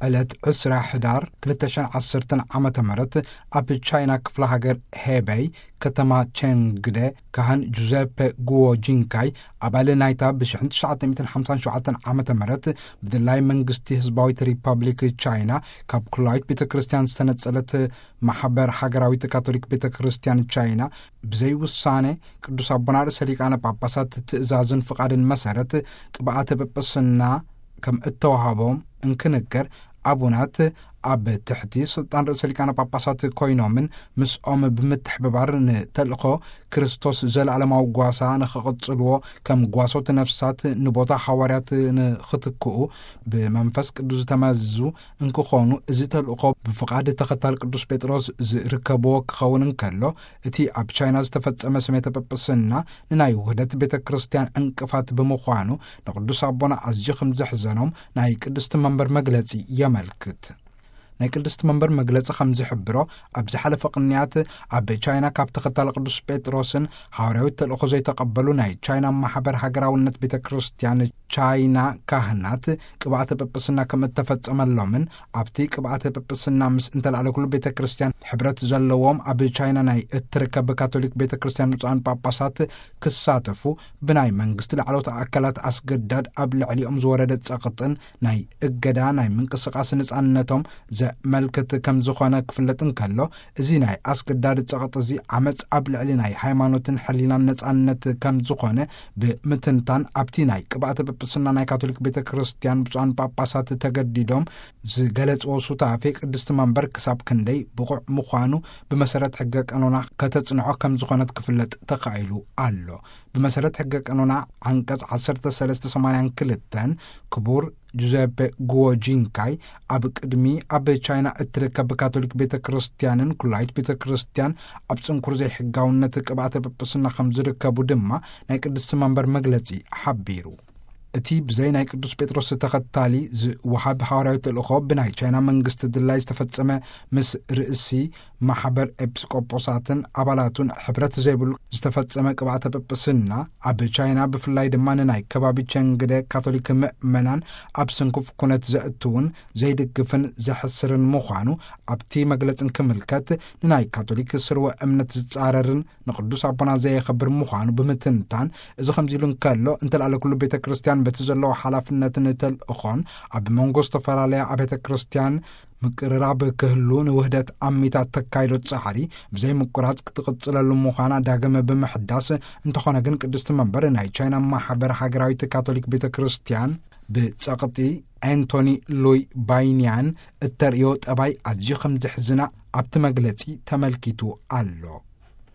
ዕለት ዕስራ ሕዳር ክልተ ሽሕን ዓሰርተን ዓመተ ምህረት ኣብ ቻይና ክፍለ ሃገር ሄበይ ከተማ ቸንግደ ካህን ጁዘፐ ጉዎ ጂንካይ ኣባል ናይታ ብ ሽሕን ትሽዓተ ሚእትን ሓምሳን ሸውዓተን ዓመተ ምህረት ብድላይ መንግስቲ ህዝባዊት ሪፐብሊክ ቻይና ካብ ኩላዊት ቤተ ክርስቲያን ዝተነጸለት ማሕበር ሃገራዊት ካቶሊክ ቤተ ክርስቲያን ቻይና ብዘይ ውሳኔ ቅዱስ ኣቦና ርእሰ ሊቃነ ጳጳሳት ትእዛዝን ፍቓድን መሰረት ቅብኣተ ጵጵስና ከም እተዋሃቦም እንክንገር፣ ኣቡናት ኣብ ትሕቲ ስልጣን ርእሰ ሊቃነ ጳጳሳት ኮይኖምን ምስኦም ብምትሕብባር ንተልእኾ ክርስቶስ ዘለዓለማዊ ጓሳ ንኽቕጽልዎ ከም ጓሶት ነፍሳት ንቦታ ሃዋርያት ንኽትክኡ ብመንፈስ ቅዱስ ዝተመዙ እንክኾኑ፣ እዚ ተልእኾ ብፍቓድ ተኸታል ቅዱስ ጴጥሮስ ዝርከብዎ ክኸውን እንከሎ፣ እቲ ኣብ ቻይና ዝተፈጸመ ስሜተ ጵጵስና ንናይ ውህደት ቤተ ክርስቲያን ዕንቅፋት ብምዃኑ፣ ንቅዱስ ኣቦና ኣዝዩ ከም ዘሕዘኖም ናይ ቅድስቲ መንበር መግለጺ የመልክት። ናይ ቅድስቲ መንበር መግለጺ ከም ዝሕብሮ፣ ኣብ ዝሓለፈ ቅንያት ኣብ ቻይና ካብ ተኸታሊ ቅዱስ ጴጥሮስን ሃዋርያዊ ተልእኾ ዘይተቐበሉ ናይ ቻይና ማሕበር ሃገራውነት ቤተ ክርስቲያን ቻይና ካህናት ቅብኣተ ጵጵስና ከም እተፈጸመሎምን፣ ኣብቲ ቅብኣተ ጵጵስና ምስ እንተልኣለ ኩሉ ቤተ ክርስቲያን ሕብረት ዘለዎም ኣብ ቻይና ናይ እትርከብ ካቶሊክ ቤተ ክርስቲያን ብፁዓን ጳጳሳት ክሳተፉ ብናይ መንግስቲ ላዕለዎት ኣካላት ኣስገዳድ ኣብ ልዕሊኦም ዝወረደ ጸቕጥን ናይ እገዳ ናይ ምንቅስቃስ ነጻነቶም ዘመልክት ከም ዝኾነ ክፍለጥ እንከሎ፣ እዚ ናይ ኣስገዳድ ጸቕጢ እዚ ዓመጽ ኣብ ልዕሊ ናይ ሃይማኖትን ሕሊናን ነጻነት ከም ዝኾነ ብምትንታን፣ ኣብቲ ናይ ቅብኣተ ጵጵስና ናይ ካቶሊክ ቤተ ክርስቲያን ብፁዓን ጳጳሳት ተገዲዶም ዝገለጽዎ ሱታፌ ቅድስቲ መንበር ክሳብ ክንደይ ብቑዕ ምዃኑ ብመሰረት ሕገ ቀኖና ከተጽንዖ ከም ዝኾነት ክፍለጥ ተኻኢሉ ኣሎ። ብመሰረት ሕገ ቀኖና ዓንቀጽ ዓሰርተ ሰለስተ ሰማንያን ክልተን ክቡር ጁዘፔ ጉዎ ጂንካይ ኣብ ቅድሚ ኣብ ቻይና እትርከብ ካቶሊክ ቤተ ክርስቲያንን ኩላይት ቤተ ክርስቲያን ኣብ ጽንኩር ዘይሕጋውነት ቅብኣተ ጵጵስና ከም ዝርከቡ ድማ ናይ ቅድስቲ መንበር መግለጺ ሓቢሩ። እቲ ብዘይ ናይ ቅዱስ ጴጥሮስ ተኸታሊ ዝወሃብ ሃዋርያዊ ተልእኾ ብናይ ቻይና መንግስቲ ድላይ ዝተፈጸመ ምስ ርእሲ ማሕበር ኤጲስቆጶሳትን ኣባላቱን ሕብረት ዘይብሉ ዝተፈጸመ ቅብኣተ ጵጵስና ኣብ ቻይና ብፍላይ ድማ ንናይ ከባቢ ቸንግደ ካቶሊክ ምእመናን ኣብ ስንኩፍ ኩነት ዘእትውን ዘይድግፍን ዘሕስርን ምዃኑ ኣብቲ መግለጽን ክምልከት ንናይ ካቶሊክ ስርወ እምነት ዝጻረርን ንቅዱስ ኣቦና ዘየኸብር ምዃኑ ብምትንታን፣ እዚ ከምዚ ኢሉ እንከሎ፣ እንተልኣለ ኩሉ ቤተ ክርስቲያን በቲ ዘለዎ ሓላፍነትን ተልእኾን ኣብ መንጎ ዝተፈላለያ ኣብያተ ክርስቲያን ምቅርራብ ክህሉ ንውህደት ኣሚታት ተካይዶ ጻዕሪ ብዘይ ምቁራጽ ክትቕጽለሉ ምዃና ዳግም ብምሕዳስ፣ እንተኾነ ግን ቅድስቲ መንበር ናይ ቻይና ማሕበር ሃገራዊት ካቶሊክ ቤተ ክርስቲያን ብጸቕጢ ኣንቶኒ ሉይ ባይንያን እተርእዮ ጠባይ ኣዝዩ ከም ዘሕዝና ኣብቲ መግለጺ ተመልኪቱ ኣሎ።